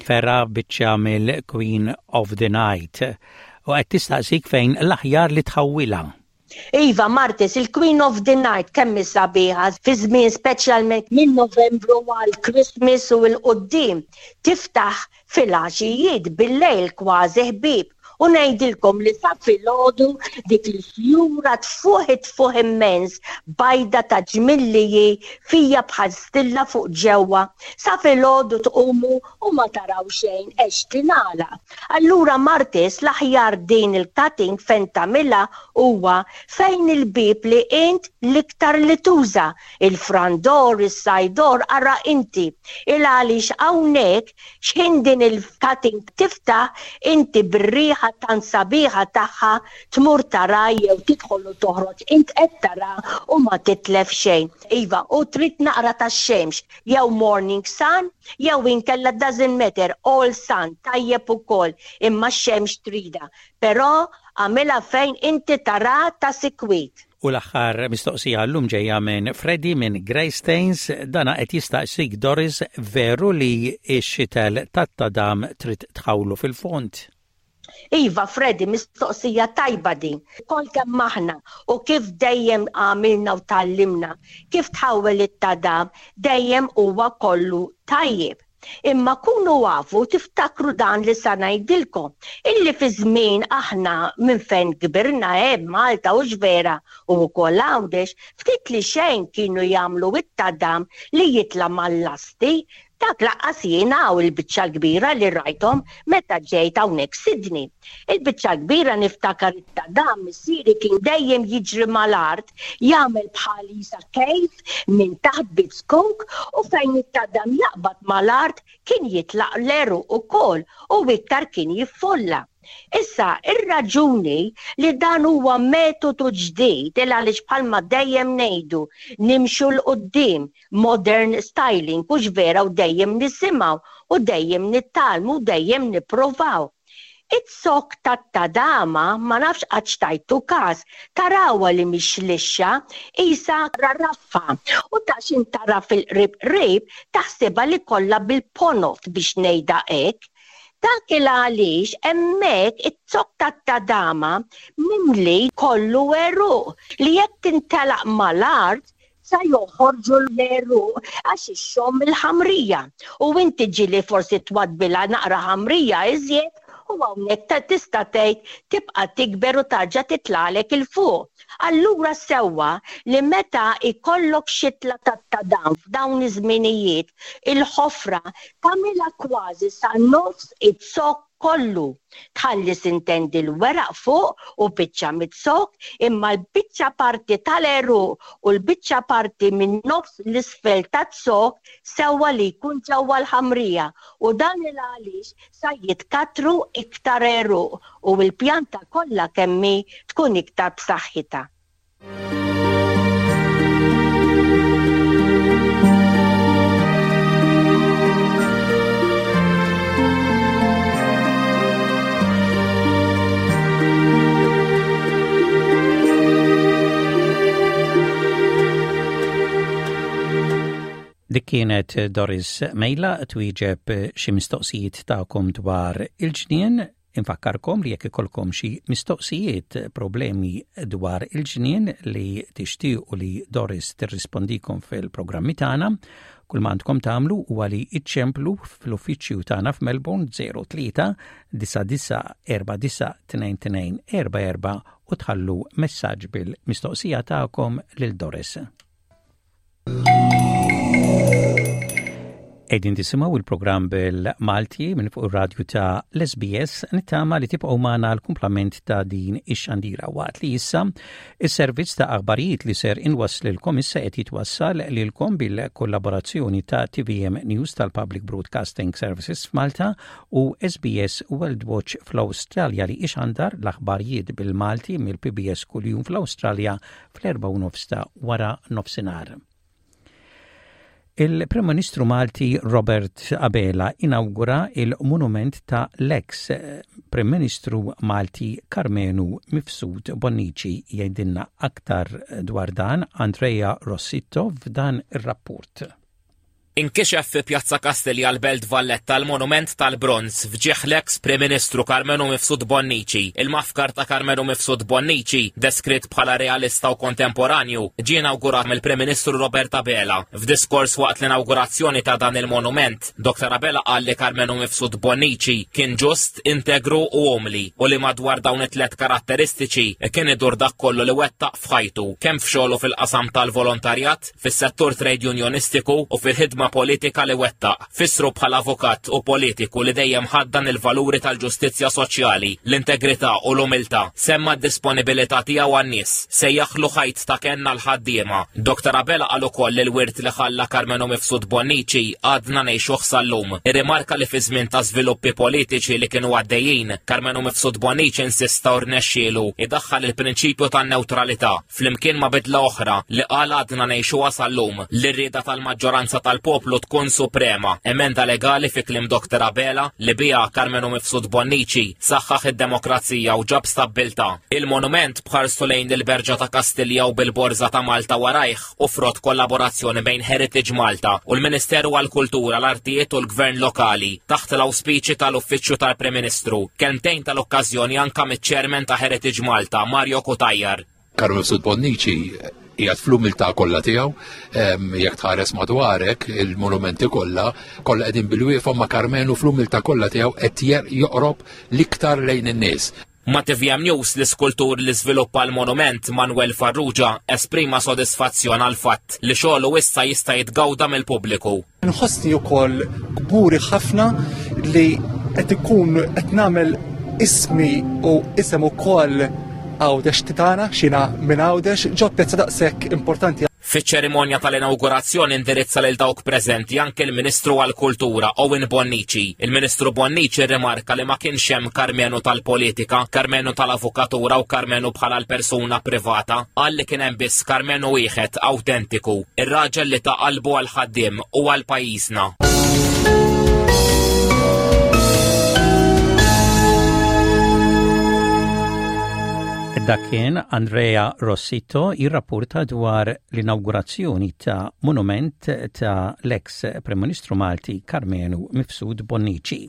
fergħa biċċa mill-Queen of the Night u qed tistaqsik fejn l-aħjar li tħawwilha. Iva, Martis, il-Queen of the Night kemm hi sabiħa fi żmien speċjalment minn Novembru għal Christmas u 'l quddiem. Tiftaħ filgħaxijiet, bil-lejl kważi ħbieb. U ngħidilkom li sa filgħodu dik il-fjura tfuħ tfuħ immens, bajda ta' ġmiel li hi fija bħal stilla fuq ġewwa. Sa filgħodu tqumu u ma taraw xejn għex tingħalaq. Allura Martis l-aħjar din il-cutting fejn tagħmilha huwa fejn il-bieb li int l-iktar li tuża, il-front door, is-side door, ara inti. Il għaliex hawnhekk x'ħin din il-cutting tiftaħ inti bir-riħa tant sabiħa tagħha tmur tara jew tidħol u toħroġ int qed tara u ma titlef xejn. Iva, u trid naqra tax-xemx jew morning sun jew inkella doesn't matter all sun tajjeb ukoll imma x-xemx tridha però agħmilha fejn inti tara ta' sikwit. U l-aħħar mistoqsija llum ġejja minn Freddy minn Greystanes, dana qed jistaqsik Doris veru li x-xitel tat-tadam trid tħawlu fil-fond? Iva, Freddy, mistoqsija tajba din. Kol kemm aħna u kif dejjem għamilna u tgħallimna, kif tħawwel it-tadam dejjem huwa kollu tajjeb. Imma kunu afu tiftakru dan li sa ngħidilkom, illi fi żmien aħna minn fejn kbirna hemm Malta hux vera u wkoll Għawdex, ftit li xejn kienu jagħmlu it-tadam li jitla' mal-lasti Dak laqqas jien hawn il-biċċa l-kbira li rajthom meta ġejt hawnhekk Sydney. Il-biċċa l-kbira niftakar it-tadam missieri kien dejjem jiġri mal-art jagħmel bħal qisha cave minn taħt bit-zkuk u fejn it-tadam jaqbad mal-art kien jitlaq l-għeruq ukoll u iktar kien jiffolla. Issa, ir-raġuni li dan huwa metodu ġdid il għaliex bħalma dejjem ngħidu nimxu 'l quddiem, modern styling, hux vera u dejjem nisimgħu u dejjem nitgħallmu u dejjem nipprovaw. Iz-zokk tat-tadama ma nafx qattx tajtu kas, tarawha li mhix lixxa, qisha raffa u ta' x'int tara fil-qrib qrib taħsibha li kollha bil-ponot biex ngħidha hekk. Dak il-għaliex hemmhekk iz-zokk tat-tadama mimli kollu għeruq li jekk tintelaq mal-art sa joħorġu l-għeruq għax ixxomm il-ħamrija. U inti ġieli forsi twaddbilha naqra ħamrija iżjed u hawnhekk tista' tgħid tibqa' tikber u tarġa' titlagħlek 'il fuq. Allura sewwa li meta jkollok xitla tat-tadam f'dawn iż-żminijiet, il-ħofra tagħmilha kważi sa nofs iz-zokk kollu. Tħalli sintendi l-weraq fuq u biċċa miz-zokk imma l-biċċa parti tal-għeruq u l-biċċa parti min-nofs 'l isfel taz-zokk sewwa li jkun ġewwa l-ħamrija u dan il-għaliex sa jitkattru iktar għeruq u l-pjanta kollha kemm hi tkun iktar b'saħħitha. Dik kienet Doris Mejla twieġeb xi mistoqsijiet tagħkom dwar il-ġnien Infakkarkom li jekk ikollkom xi mistoqsijiet, problemi dwar il-ġnien li tixtiequ li Doris tirrispondikom fil-programmi tagħna, kull ma għandkom tagħmlu huwa li iċċemplu fl-uffiċċju tagħna f'Melbourne 03 9949 2244 u tħallu messaġġ bil-mistoqsija tagħkom lil Doris. Edin tisimaw il-programm bil-Malti minn fuq ir-radju ta' l-SBS nittama li tibqgħu magħna l-kumplament ta' din ix-xandira waqt li issa is-servizz ta' aħbarijiet li ser inwasslilkom issa qed jitwassal lilkom bil-kollaborazzjoni ta' TVM News tal-Public Broadcasting Services f'Malta u SBS World Watch fl-Awstralja li ixandar l-aħbarijiet bil-Malti mill-PBS kuljum fl-Awstralja fl-4:30 ta' wara nofsinhar. Il-Prim Ministru Malti Robert Abela inawgura il-monument ta' l-eks Prim Ministru Malti Karmenu Mifsud Bonnici jgħidilna aktar dwar dan Andrea Rossitto f'dan ir-rapport. Inkixef fi Pjazza Kastilja l-Belt Valletta l-monument tal-bronż f'ġieħ l-eks Prim Ministru Karmenu Mifsud Bonnici. Il-mafkar ta' Karmenu Mifsud Bonnici, deskritt bħala realista u kontemporanju, ġie inawgurat mill-Prim Ministru Robert Abela. F'diskors waqt l-inawgurazzjoni ta' dan il-monument, Dr. Abela qal li Karmenu Mifsud Bonnici kien ġust, integru u umli u li madwar dawn it-tlet karatteristiċi kien idur dak kollu li wettaq f'ħajtu, kemm f'xogħlu fil-qasam tal-volontarjat, fis-settur trade unionistiku u fil-ħidma politika li wettaq. Fissru bħala avukat u politiku li dejjem ħaddan il-valuri tal-ġustizzja soċjali, l-integrità u l-umiltà. Semma d-disponibilità tiegħu għan-nies. Sejjaħlu ħajt ta' kenn għall-ħaddiema. Dr. Abela qal ukoll li l-wirt li ħalla Karmenu Mifsud Bonnici għadna ngħixuh sal-lum. Irrimarka li fi żmien ta' żviluppi politiċi li kienu għaddejjin, Karmenu Mifsud Bonnici insista u rnexxielu idaħħal il-prinċipju tan-newtralità. flimkien ma' bidla oħra li qal għadna ngħixuha sal-lum, li r-rieda tal-maġġoranza tal-poplu tkun suprema, emenda legali fi kliem Dr. Abela li biha Karmenu Mifsud Bonnici saħħaħ id-demokrazija u ġab stabbiltà. Il-monument b'ħarstu lejn il-Berġa ta' Kastilja u bil-Borża ta' Malta warajh u frott kollaborazzjoni bejn Heritage Malta u l-Ministeru għall-Kultura, l-Artijiet u l-Gvern Lokali taħt l-awspiċi tal-Uffiċċju tal-Prim Ministru. Kelmtejn tal-okkażjoni anka miċ-Chairman ta' Heritage Malta, Mario Cutajar. Karol Mifsud Bonnici qiegħed fl-umiltà kollha tiegħu, jekk tħares madwarek il-monumenti kollha, kollha qegħdin bil-wieqfa ma' Karmenu fl-umiltà kollha tiegħu qed joqrob l-iktar lejn in-nies. Ma' tvm News, l-iskultur li żviluppa l-monument, Manuel Farrugia, esprima sodisfazzjon għall-fatt li xogħlu issa jista' jitgawda mill-pubbliku. Nħossni wkoll kburi ħafna li qed ikun qed nagħmel ismi u isem ukoll Għawdex titana, xina minn Għawdex, ġo pjazza daqshekk importanti. Fiċ-ċerimonja tal-inawgurazzjoni indirizza lil dawk preżenti anke l-Ministru għall-Kultura Owen Bonnici. Il-Ministru Bonnici rrimarka li ma kienx hemm Karmenu tal-politika, Karmenu tal-avukatura u Karmenu bħala l-persuna privata. Qal li kien hemm biss Karmenu wieħed awtentiku, ir-raġel li ta qalbu għall-ħaddiem u għal pajjiżna. Dak kien Andrea Rossitto jirrapporta dwar l-inawgurazzjoni ta' monument ta' l-eks Prim Ministru Malti Karmenu Mifsud Bonnici.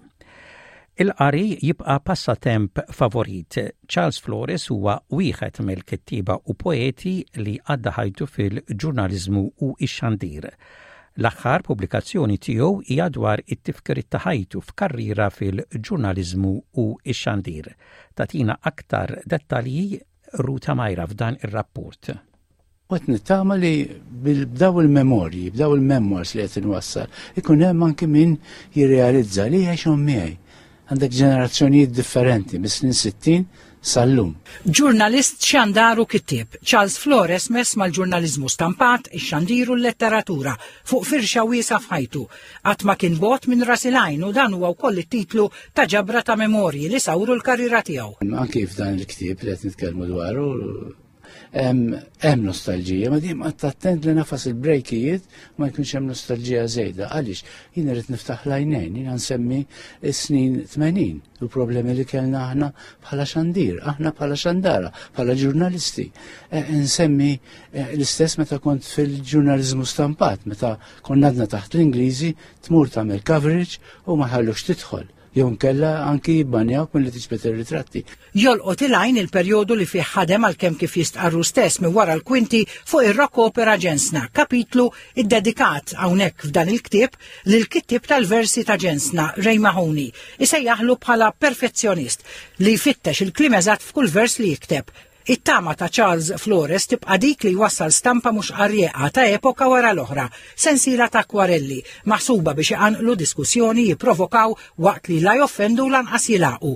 Il-qari jibqa' passatemp favorit. Charles Flores huwa wieħed mill-kittieba u poeti li għadda ħajtu fil-ġurnaliżmu u x-xandir. L-aħħar pubblikazzjoni tiegħu hija dwar it-tifkiriet ta' ħajtu f'karriera fil-ġurnaliżmu u x-xandir. Tagħtina aktar dettalji Ruta Majra f'dan ir-rapport. U qed nittama li b'daw il-memorji, b'daw il-memoirs li qed inwassal, ikun hemm anki min jirrealizza li għexhom miegħi. Għandek ġenerazzjonijiet differenti mis-snin 60 sal-lum. Ġurnalist, xandar u kittieb, Charles Flores mess mal-ġurnaliżmu stampat, ix-xandir u l-letteratura fuq firxa wiesgħa f'ħajtu. Qatt ma kien bogħod minn ras il-għajn u dan huwa wkoll it-titlu ta' ġabra ta' memorji li sawru l-karriera tiegħu. Anki f'dan il-ktieb li qed nitkellmu dwaru hemm nostalġija, ma dejjem qatt attent li nafas il-brejkijiet ma jkunx hemm nostalġija żejda. Għaliex jien irid niftaħ l-għajnejn, jiena nsemmi s-snin 80 u problemi li kellna aħna bħala xandir, aħna bħala xandara, bħala ġurnalisti. E, nsemmi e, l-istess meta kont fil-ġurnaliżmu stampat, meta konna għadna taħt l-Ingliżi tmur tagħmel coverage u ma ħallux tidħol jew nkella anki jibbanjawk milli tiġbed ir-ritratti. Jolqot il-għajn il-perjodu li fih ħadem għalkemm kif jistqarru stess minn wara l-kwinti fuq ir-rock opera Ġensna, kapitlu iddedikat hawnhekk f'dan il-ktieb lill-kittieb tal-versi ta' Ġensna, Ray Mahoney, isejjaħlu bħala perfezzjonist li jfittex il-kliem eżatt f'kull vers li jikteb. It-tama ta' Charles Flores tibqa' dik li jwassal stampa mhux qarrieqa ta' epoka wara l-oħra, sensiela ta' akkwarelli, maħsuba biex iqanqlu diskussjoni, jipprovokaw waqt li la joffendu u lanqas jilagħqu.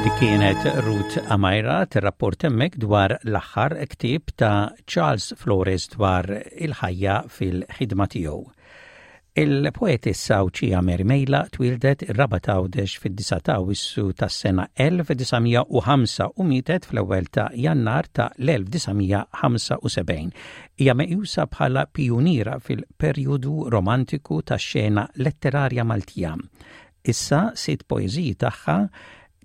Dik kienet Ruth Amajra tirrapport hemmhekk dwar l-aħħar ktieb ta' Charles Flores dwar il-ħajja fil-ħidma tiegħu. Il-poetessa Għawdxija Mary Mejla twieldet ir-Rabat Għawdex fid-9 ta' Awwissu tas-sena 1905 u mietet fl-ewwel ta' Jannar ta' l-1975. Hija meqjusa bħala pijuniera fil-perjodu romantiku tax-xena letterarja Maltija. Issa sitt poeżiji tagħha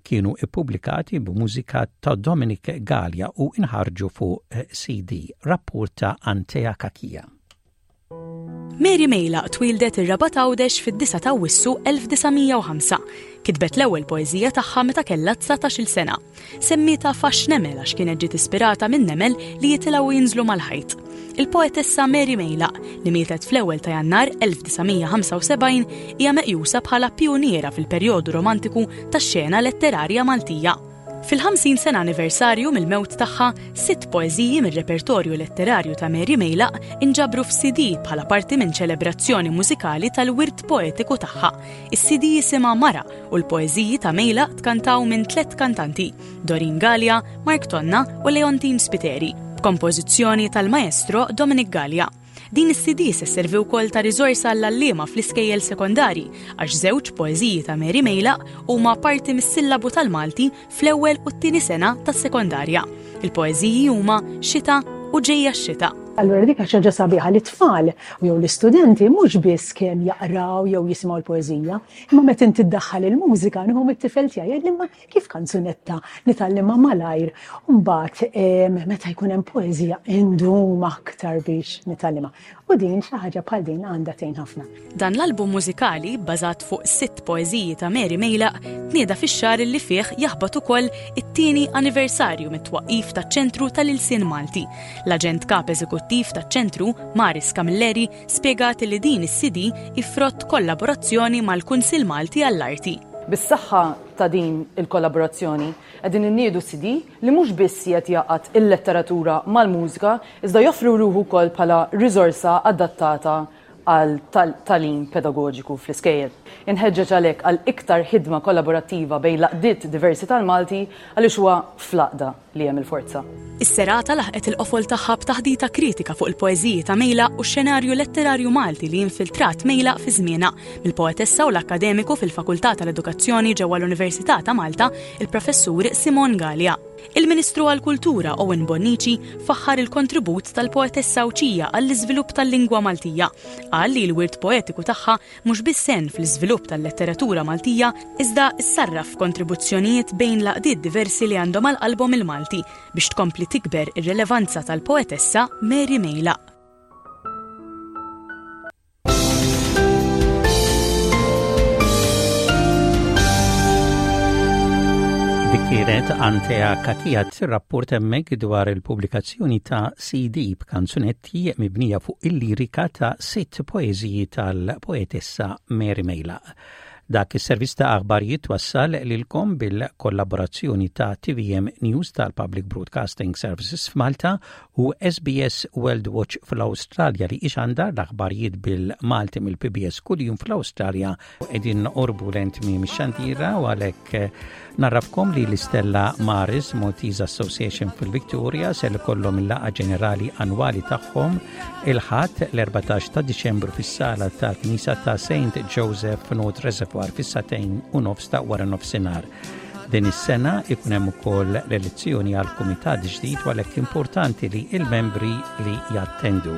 kienu ippubblikati b'mużika ta' Dominic Galea u inħarġu fuq CD. Rapport ta' Antea Cachia. Mary Mejlaq twieldet ir-Rabat Għawdex fid-9 ta' Awwissu 1905. Kitbet l-ewwel poeżija tagħha meta kellha 19-il sena. Semmietha Fax Nemel għax kienet ġiet ispirata minn nemel li jitilgħu u jinżlu mal-ħajt. Il-poetessa Mary Mejlaq, li mietet fl-ewwel ta' Jannar 1975, hija meqjusa bħala pijuniera fil-perjodu romantiku tax-xena letterarja Maltija. Fil-50 sena anniversarju mill-mewt tagħha, sitt poeżiji mir-repertorju letterarju ta' Mary Mejlaq inġabru f'CD bħala parti minn ċelebrazzjoni mużikali tal-wirt poetiku tagħha. Is-CD jisimha Mara u l-poeżiji ta' Mejlaq tkantaw minn tlett kantanti, Doreen Galea, Mark Tonna u Leontine Spiteri, b'kompożizzjoni tal-maestro Dominic Galea. Din is-CD se sservi wkoll ta' riżorsa għall-għalliema fl-iskejjel sekondarji għax żewġ poeżiji ta' Mary Mejlaq huma parti mis-sillabu tal-Malti fl-ewwel u t-tieni sena tas-sekondarja. Il-poeżiji huma Xita u Ġejja x-Xita. Allura dik xi ħaġa sabiħa li t-tfal jew l-istudenti mhux biss kemm jaqraw jew jisimgħu l-poeżija, imma meta inti ddaħħal il-mużika nieħu mit-tifel tiegħi jgħidli imma Kif kanzunetta nitgħallimha malajr u mbagħad meta jkun hemm poeżija indum aktar biex nitgħallimha. U din xi ħaġa bħal din għandha tgħin ħafna. Dan l-album mużikali, bbażat fuq sitt poeżiji ta' Mary Mejlaq, tnieda fix-xahar li fih jaħbat ukoll it-tieni anniversarju mit-twaqqif taċ-Ċentru tal-Ilsien Malti. L-Aġent Kap Eżekuttiv taċ-Ċentru, Maris Camilleri, spjegat li din is-CD hi frott kollaborazzjoni mal-Kunsill Malti għall-Arti. Bis-saħħa ta' din il-kollaborazzjoni, qegħdin inniedu CD li mhux biss qiegħed jgħaqqad il-letteratura mal-mużika iżda joffri ruħu wkoll bħala riżorsa adattata għal tagħlim pedagoġiku fl-iskejjel. Inħeġġeġ għalhekk għal iktar ħidma kollaborattiva bejn l-għaqdiet diversi tal-Malti għaliex huwa fl-għaqda li hemm il-forza. Is-serata laħqet il-qofol tagħha b'taħdita kritika fuq il-poeżiji ta' Mejlaq u x-xenarju letterarju Malti li infiltrat Mejlaq fi żmienha, mill-poetessa u l-akkademiku fil-Fakultà tal-Edukazzjoni ġewwa l-Università ta' Malta, il-Professur Simone Galea. Il-Ministru għall-Kultura Owen Bonnici faħħar il-kontribut tal-poetessa Għawdxija għall-iżvilupp tal-lingwa Maltija. Qal li l-wirt poetiku tagħha mhux biss għen fl-iżvilupp tal-letteratura Maltija iżda ssarraf f'kontribuzzjonijiet bejn l-għaqdiet diversi li għandhom għal qalbhom il-Malti biex tkompli tikber ir-relevanza tal-poetessa Mary Mejlaq. Dik kienet Antea Kakija tirrapport hemmhekk dwar il-pubblikazzjoni ta' CD b'kanzunetti mibnija fuq il-lirika ta' sitt poeżiji tal-poetessa Mary Mejla. Dak is-servizz ta' aħbarijiet wassal lilkom bil-kollaborazzjoni ta' TVM News tal-Public Broadcasting Services f'Malta u SBS World Watch fl-Awstralja li ixandar l-aħbarijiet bil-Malti mill-PBS kuljum fl-Awstralja. Qegħdin noqorbu lejn tmiem ix-xandira u għalhekk eh, narrafkom li l-Istella Maris Maltese Association fil-Victoria se jkollhom il-laqgħa ġenerali annwali tagħhom il-Ħadd l-14 ta' Diċembru fis-sala tal-Knisa ta' St. Joseph North Reservoir fis-sagħtejn u nofs ta' wara nofsinhar. Din is-sena ikun hemm ukoll l-elezzjoni għal kumitat ġdid u għalhekk importanti li il-membri li jattendu.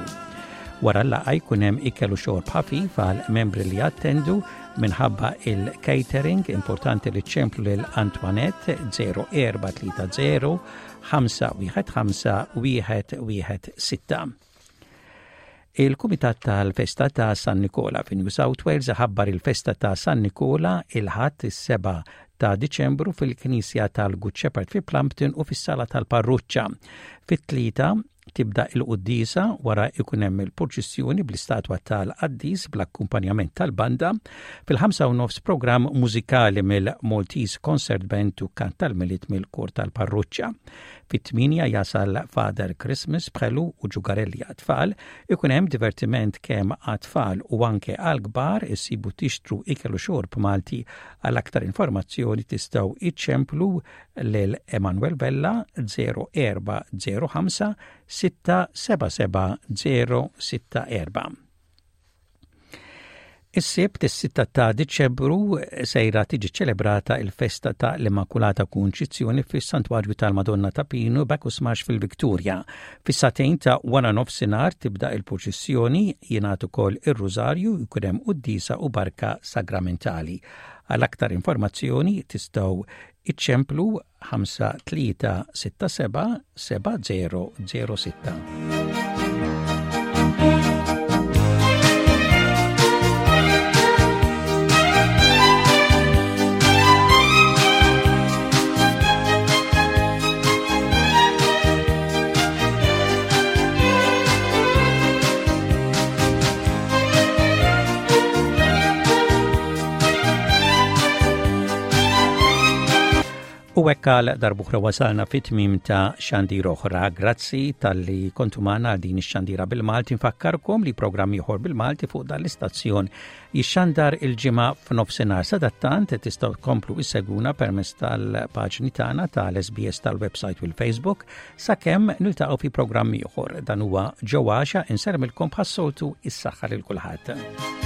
Wara l-laqgħa jkun hemm ikel u xorb ħafif għal membri li jattendu minħabba il-catering importanti li ċemplu lil Antoinette 0430 515 116. Il-Kumitat tal-Festa ta' San Nikola fi New South Wales ħabbar il-festa ta' San Nikola il-Ħadd is-7 ta' Diċembru fil-Knisja tal-Good Shepherd fi Plumpton u fis-Sala tal-Parruċċa. Fit-tlieta tibda il-quddiesa wara ikun hemm il-purċissjoni bl-istatwa tal-qaddis bl-akkumpanjament tal-banda. Fil-5 u nofs programm mużikali mill-Maltese Concert Band u kant tal-Milied mill-Kor tal-Parruċċa. Fit-tmienja jasal Father Christmas b'ħelu u ġugarelli għat-tfal, ikun hemm divertiment kemm għat-tfal u anke għall-kbar, issibu tixtru ikel u xorb Malti. Għal aktar informazzjoni tistgħu iċċemplu lil Emanuel Vella 0405 677 064. Is-Sibt is-6 ta' Diċembru sejra tiġi ċelebrata il-festa ta' l-Immakulata Kunċizzjoni fis-Santwarju tal-Madonna ta' Pinu Bacchus Marsh fil-Victoria. Fis-sagħtejn ta' wara nofsinhar tibda il-purċissjoni, jingħad ukoll ir-Rużarju, jkun hemm quddiesa u barka sagramentali. Għal aktar informazzjoni tistgħu iċċemplu 5367 7006. U hekk għal darbuħra wasalna fit-tmim ta' xandir oħra. Grazzi tal-li kontu magħna għal din ix-xandira bil-Malti. Nfakkarkom li programm ieħor bil-Malti fuq dan l-istazzjon jixxandar il-ġimgħa f'nofsinhar. Sadattant tistgħu tkomplu isseguna permezz tal-paġni tagħna tal-SBS tal-website u l-Facebook sakemm niltaqgħu fi programm ieħor. Dan huwa Ġo Għaxa insermilkom bħas-soltu is-saħħa lil kulħadd.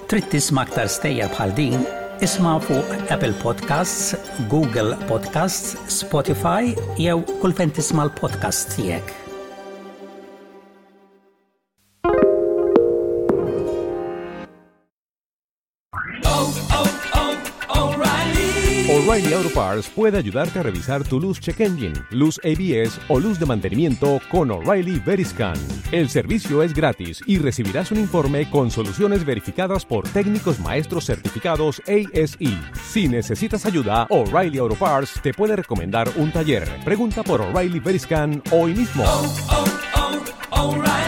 Trid tisma' aktar stejjer bħal din? Isma' fuq Apple Podcasts, Google Podcasts, Spotify jew kull fejn tisma' l-podcasts tiegħek. O'Reilly Auto Parts puede ayudarte a revisar tu luz check engine, luz ABS o luz de mantenimiento con O'Reilly Veriscan. El servicio es gratis y recibirás un informe con soluciones verificadas por técnicos maestros certificados ASE. Si necesitas ayuda, O'Reilly Auto Parts te puede recomendar un taller. Pregunta por O'Reilly Veriscan hoy mismo. Oh, oh, O'Reilly.